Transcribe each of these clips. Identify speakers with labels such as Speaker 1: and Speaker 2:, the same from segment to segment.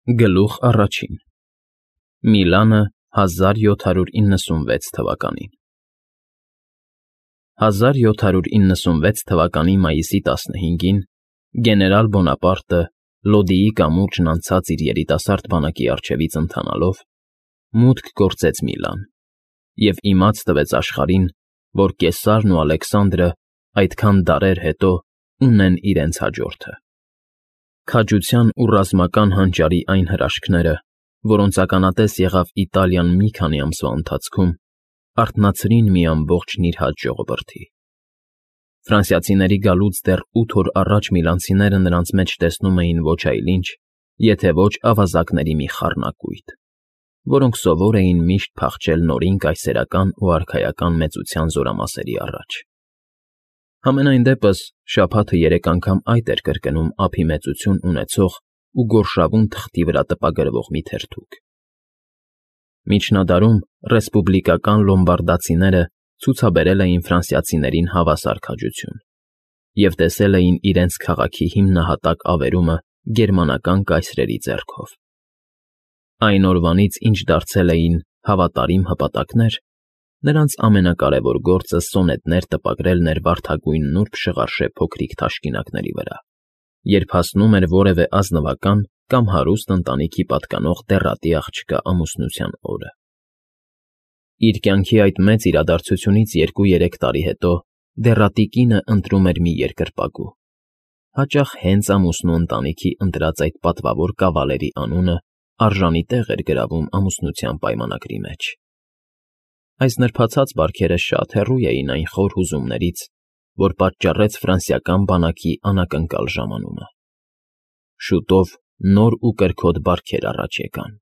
Speaker 1: Գլուխ առաջին Միլանը 1796 թվականին 1796 թվականի մայիսի 15-ին գեներալ Բոնապարտը Լոդիի կամուրջն անցած իր երիտասարդ բանակի առջևից ընթանալով մուտք գործեց Միլան և իմաց տվեց աշխարհին, որ Կեսարն ու Ալեքսանդրը այդքան դարեր հետո ունեն իրենց հաջորդը։ Քաջության ու ռազմական հանճարի այն հրաշքները, որոնց ականատես եղավ Իտալիան մի քանի ամսվա ընթացքում, արթնացրին մի ամբողջ նիրհած ժողովրդի։ Ֆրանսիացիների գալուց դեռ 8 օր առաջ միլանցիները նրանց մեջ տեսնում էին ոչ այլ ինչ, եթե ոչ ավազակների մի խառնակույտ, որոնք սովոր էին միշտ փախչել նորին կայսերական ու արքայական մեծության զորամասերի առաջ։ Համենայն դեպս, շաբաթը 3 անգամ այդ էր կրկնում ափի մեծություն ունեցող ու գորշավուն թղթի վրա տպագրվող մի թերթուկ։ Միջնադարում ռեսպուբլիկական լոմբարդացիները ցուցաբերել էին ֆրանսիացիներին հավասար քաջություն և տեսել էին իրենց քաղաքի հիմնահատակ ավերումը գերմանական կայսրերի ձեռքով։ Այն օրվանից, ինչ դարձել էին հավատարիմ հպատակներ, նրանց ամենակարևոր գործը սոնետներ տպագրելն էր վարդագույն նուրբ շղարշե փոքրիկ թաշկինակների վրա, երբ հասնում էր որևէ ազնվական կամ հարուստ ընտանիքի պատկանող դեռատի աղջկա ամուսնության օրը։ Իր կյանքի այդ մեծ իրադարձությունից 2-3 տարի հետո դեռատի կինը ընտրում էր մի երկրպագու, հաճախ հենց ամուսնու ընտանիքի ընտրած այդ պատվավոր կավալերի անունը արժանի տեղ էր գրավում ամուսնության պայմանագրի մեջ։ Այս նրբացած բարքերը շատ հեռու էին այն խոր հուզումներից, որ պատճառեց ֆրանսիական բանակի անակնկալ ժամանումը։ Շուտով նոր ու կրքոտ բարքեր առաջ եկան։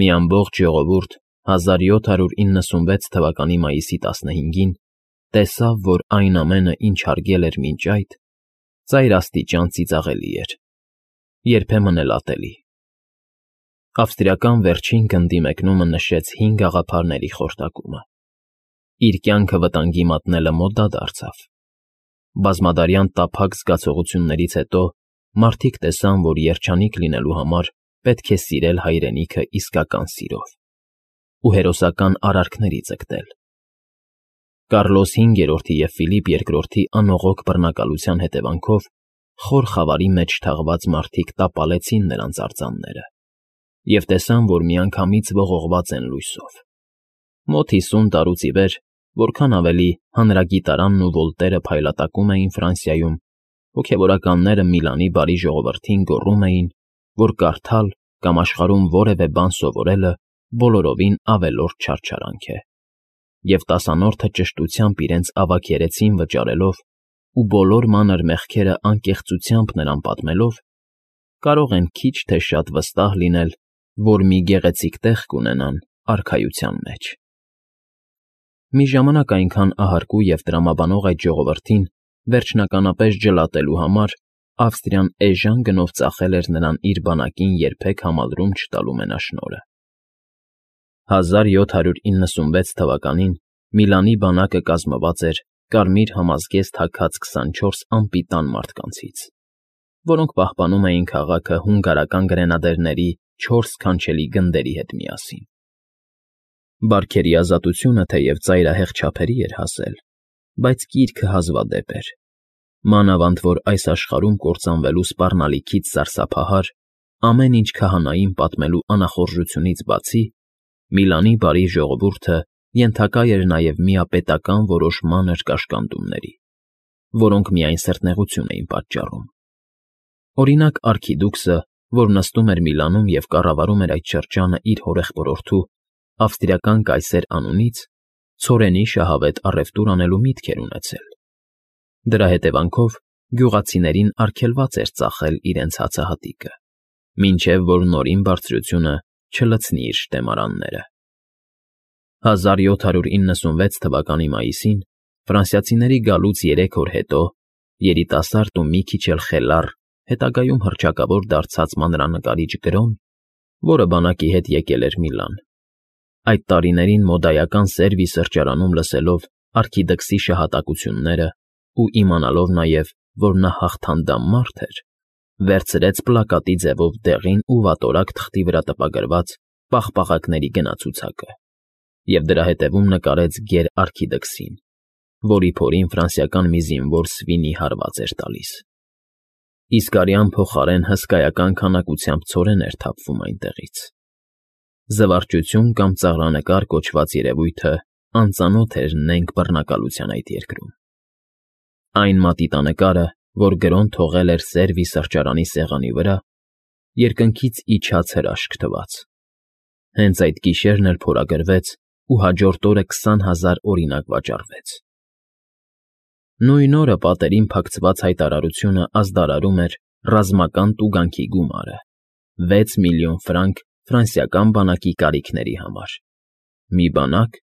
Speaker 1: Մի ամբողջ ժողովուրդ 1796 թվականի մայիսի 15-ին տեսավ, որ այն ամենը, ինչ հարգել էր մինչ այդ, ծայրաստիճան ծիծաղելի էր, երբեմն էլ ատելի։ Ավստրիական վերջին գնդի մեկնումը նշեց 5 աղափարների խորտակումը։ Իր կյանքը վտանգի մատնելը մոդա դարձավ։ Բազմադարյան տափակ զգացողություններից հետո մարդիկ տեսան, որ երջանիկ լինելու համար պետք է սիրել հայրենիքը իսկական սիրով ու հերոսական արարքների ձգտել։ Կարլոս V-րդի և Ֆիլիպ II-ի անողոք բռնակալության հետևանքով խոր խավարի մեջ թաղված մարդիկ տապալեցին նրանց արձանները և տեսան, որ միանգամից ողողված են լույսով։ Մոտ 50 տարուց ի վեր, որքան ավելի Հանրագիտարանն ու Վոլտերը փայլատակում էին Ֆրանսիայում, հոգևորականները Միլանի բարի ժողովրդին գոռում էին, որ կարդալ կամ աշխարհում որևէ բան սովորելը բոլորովին ավելորդ չարչարանք է, և տասանորդը ճշտությամբ իրենց ավագ երեսին վճարելով ու բոլոր մանր մեղքերը անկեղծությամբ նրան պատմելով, կարող են քիչ թե շատ վստահ լինել, որ մի գեղեցիկ տեղ կունենան արքայության մեջ։ Մի ժամանակ այնքան ահարկու և տրամաբանող այդ ժողովրդին վերջնականապես ջլատելու համար Ավստրիան էժան գնով ծախել էր նրան իր բանակին երբեք համալրում չտալու մենաշնորհը։ 1796 թվականին Միլանի բանակը կազմված էր կարմիր համազգեստ հագած 24 անպիտան մարդկանցից, որոնք պահպանում էին քաղաքը հունգարական գրենադերների 4 սքանչելի գնդերի հետ միասին։ Բարքերի ազատությունը թեև ծայրահեղ չափերի էր հասել, բայց կիրքը հազվադեպ էր, մանավանդ որ այս աշխարհում կործանվելու սպառնալիքից սարսափահար, ամեն ինչ քահանային պատմելու անախորժությունից բացի, Միլանի բարի ժողովուրդը ենթակա էր նաև միապետական որոշ մանր կաշկանդումների, որոնք միայն սրտնեղություն էին պատճառում։ Օրինակ, արքիդուքսը, որ նստում էր Միլանում և կառավարում էր այդ շրջանը իր հորեղբորորդու, ավստրիական կայսեր անունից, ցորենի շահավետ առևտուր անելու միտք էր ունեցել։ Դրա հետևանքով գյուղացիներին արգելված էր ծախել իրենց հացահատիկը, մինչև որ Նորին Բարձրությունը չլցնի իր շտեմարանները։ 1796 թվականի մայիսին ֆրանսիացիների գալուց 3 օր հետո երիտասարդ ու մի քիչ էլ խելառ, հետագայում հռչակավոր դարձած մանրանկարիչ Գրոն, որը բանակի հետ եկել էր Միլան, այդ տարիներին մոդայական Սերվի սրճարանում լսելով արքիդքսի շահատակությունները ու իմանալով նաև, որ նա հաղթանդամ մարդ էր, վերցրեց պլակատի ձևով դեղին ու վատորակ թղթի վրա տպագրված պաղպաղակների գնացուցակը և դրա հետևում նկարեց գեր արքիդքսին, որի փորին ֆրանսիական մի զինվոր սվինի հարված էր տալիս։ Իսկ արյան փոխարեն հսկայական քանակությամբ ցորեն էր թափվում այնտեղից։ Զվարճություն կամ ծաղրանկար կոչված երևույթը անծանոթ էր նենգ բռնակալության այդ երկրում։ Այն մատիտանկարը, որ գրոն թողել էր Սերվի սրճարանի սեղանի վրա, երկնքից իջած հրաշք թվաց։ Հենց այդ գիշերն էլ փորագրվեց ու հաջորդ օրը 20,000 օրինակ վաճառվեց։ Նույն օրը պատերին փակցված հայտարարությունը ազդարարում էր ռազմական տուգանքի գումարը՝ 6 միլիոն ֆրանկ ֆրանսիական բանակի կարիքների համար։ Մի բանակ,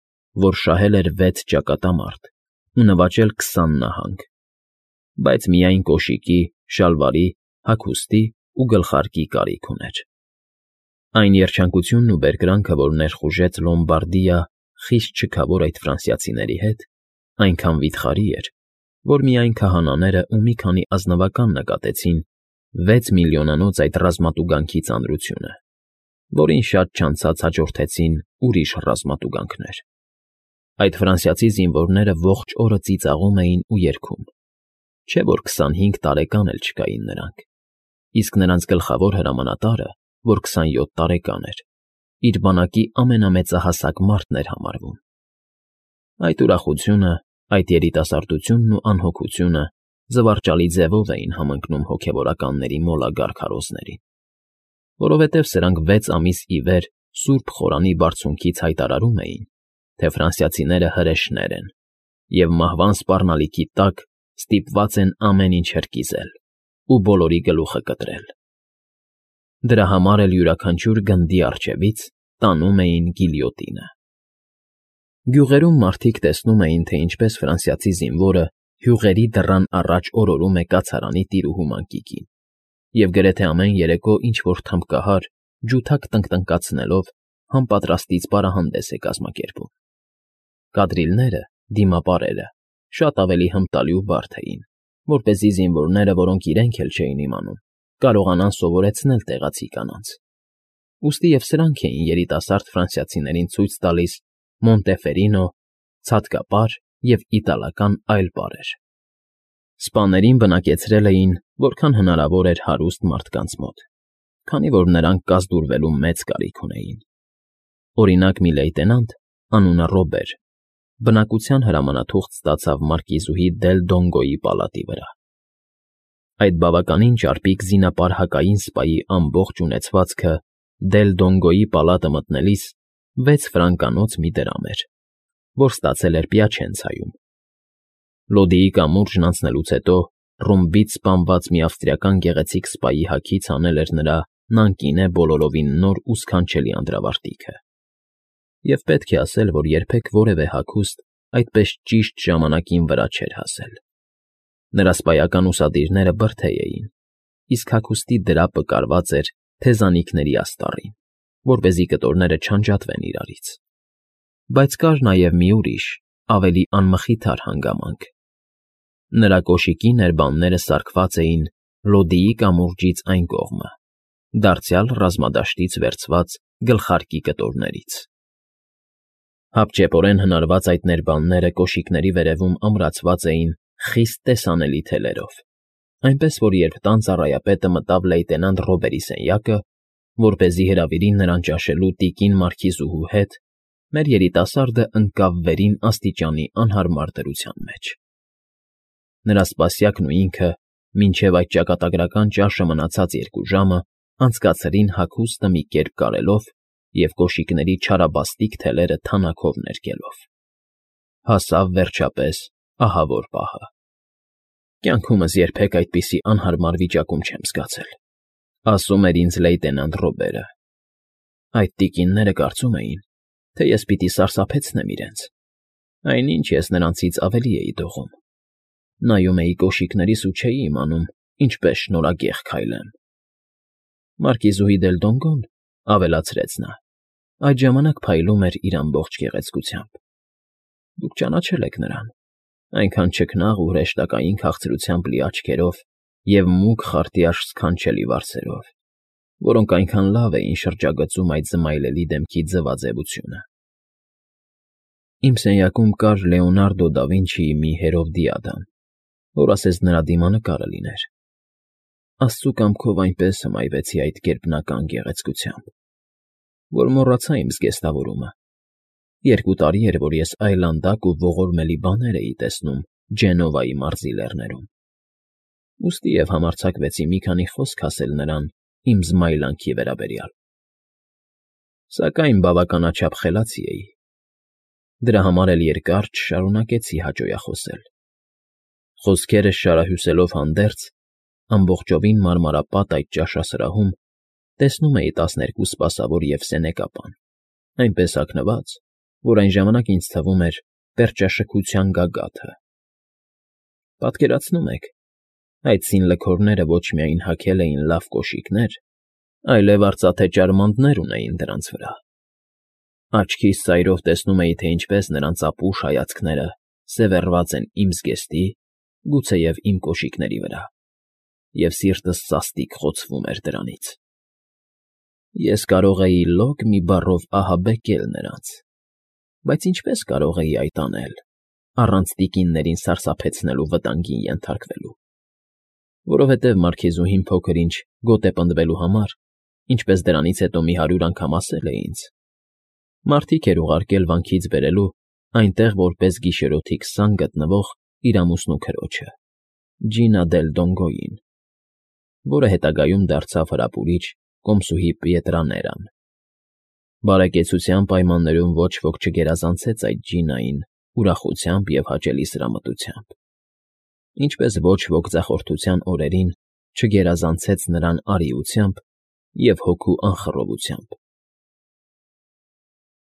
Speaker 1: որ շահել էր 6 ճակատամարտ ու նվաճել 20 նահանգ, բայց միայն կոշիկի, շալվարի, հագուստի ու գլխարկի կարիք ուներ։ Այն երջանկությունն ու բերկրանքը, որ ներխուժեց Լոմբարդիա խիստ չքավոր այդ ֆրանսիացիների հետ, այնքան վիթխարի էր, որ միայն քահանաները ու մի քանի ազնվական նկատեցին 6 միլիոնանոց այդ ռազմատուգանքի ծանրությունը, որին շատ չանցած հաջորդեցին ուրիշ ռազմատուգանքներ։ Այդ ֆրանսիացի զինվորները ողջ օրը ծիծաղում էին ու երգում, չէ՞ որ 25 տարեկան էլ չկային նրանք, իսկ նրանց գլխավոր հրամանատարը, որ 27 տարեկան էր, իր բանակի ամենամեծահասակ մարդն էր համարվում։ Այդ ուրախությունը, այդ երիտասարդությունն ու անհոգությունը զվարճալի ձևով էին համընկնում հոգևորականների մոլագար քարոզներին, որովհետև սրանք 6 ամիս ի վեր Սուրբ Խորանի բարձունքից հայտարարում էին, թե ֆրանսիացիները հրեշներ են և մահվան սպառնալիքի տակ ստիպված են ամեն ինչ հրկիզել ու բոլորի գլուխը կտրել։ Դրա համար էլ յուրաքանչյուր գնդի առջևից տանում էին գիլյոտինը։ Գյուղերում մարդիկ տեսնում էին, թե ինչպես ֆրանսիացի զինվորը հյուղերի դռան առաջ օրորում է կացարանի տիրուհու մանկիկին և գրեթե ամեն երեկո ինչ֊որ թմբկահար, ջութակ տնկտնկացնելով համապատրաստից պարահանդես է կազմակերպում։ Կադրիլները, դիմապարերը, շատ ավելի հմտալի ու բարդ էին, որպեսզի զինվորները, որոնք իրենք էլ չէին իմանում, կարողանան սովորեցնել տեղացի կանանց։ Ուստի և սրանք էին երիտասարդ ֆրանսիացիներին ցույց տալիս Մոնտեֆերինո, ցատկապար և իտալական այլ պարեր։ Սպաներին բնակեցրել էին, որքան հնարավոր էր հարուստ մարդկանց մոտ, քանի որ նրանք կազդուրվելու մեծ կարիք ունեին։ Օրինակ մի լեյտենանտ, անունը Ռոբեր, բնակության հրամանաթուղթ ստացավ մարկիզուհի Դել Դոնգոյի պալատի վրա։ Այդ բավականին ճարպիկ զինապար հակային սպայի ամբողջ ունեցվածքը Դել Դոնգոյի պալատը մտնելիս 6 ֆրանկանոց մի դրամ էր, որ ստացել էր Պյաչենցայում։ Լոդիի կամուրջն անցնելուց հետո ռումբից սպանված մի ավստրիական գեղեցիկ սպայի հագից հանել էր նրա նանկինե բոլորովին նոր ու սքանչելի անդրավարտիքը։ Եվ պետք է ասել, որ երբեք որևէ հագուստ այդպես ճիշտ ժամանակին վրա չէր հասել։ Նրա սպայական ուսադիրները բրդեյ էին, իսկ հագուստի դրապը կարված էր թեզանիքների աստառին, որպեսզի կտորները չանջատվեն իրարից։ Բայց կար նաև մի ուրիշ, ավելի անմխիթար հանգամանք։ Նրա կոշիկի ներբանները սարքված էին Լոդիի կամուրջից այն կողմը, դարձյալ ռազմադաշտից վերցված գլխարկի կտորներից։ Հապճեպորեն հնարված այդ ներբանները կոշիկների վերևում ամրացված էին խիստ տեսանելի թելերով, այնպես որ երբ տան ծառայապետը մտավ լեյտենանտ Ռոբերի սենյակը, որպեսզի հրավիրի նրան ճաշելու տիկին մարքիզուհու հետ, մեր երիտասարդը ընկավ վերին աստիճանի անհարմար դրության մեջ։ Նրա սպասյակն ու ինքը, մինչև այդ ճակատագրական ճաշը մնացած 2 ժամը, անցկացրին հագուստը մի կերպ կարելով և կոշիկների չարաբաստիկ թելերը թանաքով ներկելով։ Հասավ, վերջապես, ահավոր պահը։ Կյանքումս երբեք այդպիսի անհարմար վիճակում չեմ զգացել, ասում էր ինձ լեյտենանտ Ռոբերը։ Այդ տիկինները կարծում էին, թե ես պիտի սարսափեցնեմ իրենց, այնինչ ես նրանցից ավելի էի դողում։ Նայում էի կոշիկներիս ու չէի իմանում ինչպես շնորհագեղ քայլեմ։ Մարկիզուհի Դել Դոնգոն, ավելացրեց նա, այդ ժամանակ փայլում էր իր ամբողջ գեղեցկությամբ։ Դուք ճանաչել եք նրան, այնքան չքնաղ ու հրեշտակային քաղցրությամբ լի աչքերով և մուգ խարտի սքանչելի վարսերով, որոնք այնքան լավ էին շրջագծում այդ զմայլելի դեմքի ձվաձևությունը։ Իմ սենյակում կար Լեոնարդո դա Վինչիի մի հերովդիադան, որ ասես նրա դիմանկարը լիներ։ Աստծու կամքով այնպես հմայվեցի այդ գերբնական գեղեցկությամբ, որ մոռացա իմ զգեստավորումը։ 2 տարի էր, որ ես այլանդակ ու ողորմելի բաներ էի տեսնում Ջենովայի մարզի լեռներում, ուստի և համարձակվեցի մի քանի խոսք ասել նրան իմ զմայլանքի վերաբերյալ։ Սակայն բավականաչափ խելացի էի։ Դրա համար էլ երկար չշարունակեցի հաճոյախոսել։ Խոսքերս շարահյուսելով հանդերձ, ամբողջովին մարմարապատ այդ ճաշասրահում տեսնում էի 12 սպասավոր և սենեկապան, այնպես հագնված, որ այն ժամանակ ինձ թվում էր պերճաշքության գագաթը։ Պատկերացնում եք, այդ սինլքորները ոչ միայն հագել էին լավ կոշիկներ, այլև արծաթե ճարմանտներ ունեին դրանց վրա։ Աչքիս ծայրով տեսնում էի, թե ինչպես նրանց ապուշ հայացքները սևեռված են իմ զգեստի, գուցեև իմ կոշիկների վրա, և սիրտս սաստիկ խոցվում էր դրանից։ Ես կարող էի լոկ մի բառով ահաբեկել նրանց, բայց ինչպե՞ս կարող էի այդ անել, առանց տիկիններին սարսափեցնելու վտանգին ենթարկվելու։ Որովհետև մարքիզուհին փոքր֊ինչ գոտեպնդվելու համար, ինչպես դրանից հետո մի 100 անգամ ասել է ինձ, մարդիկ էր ուղարկել վանքից բերելու այնտեղ որպես գիշերօթիկ սան գտնվող իր ամուսնու քրոջը՝ Ջինա դել Դոնգոյին, որը հետագայում դարձավ հրապուրիչ կոմսուհի Պիետրաներան։ Բարեկեցության պայմաններում ոչ ոք չգերազանցեց այդ Ջինային ուրախությամբ և հաճելի սրամտությամբ, ինչպես ոչ ոք ձախորդության օրերին չգերազանցեց նրան արիությամբ և հոգու անխռովությամբ։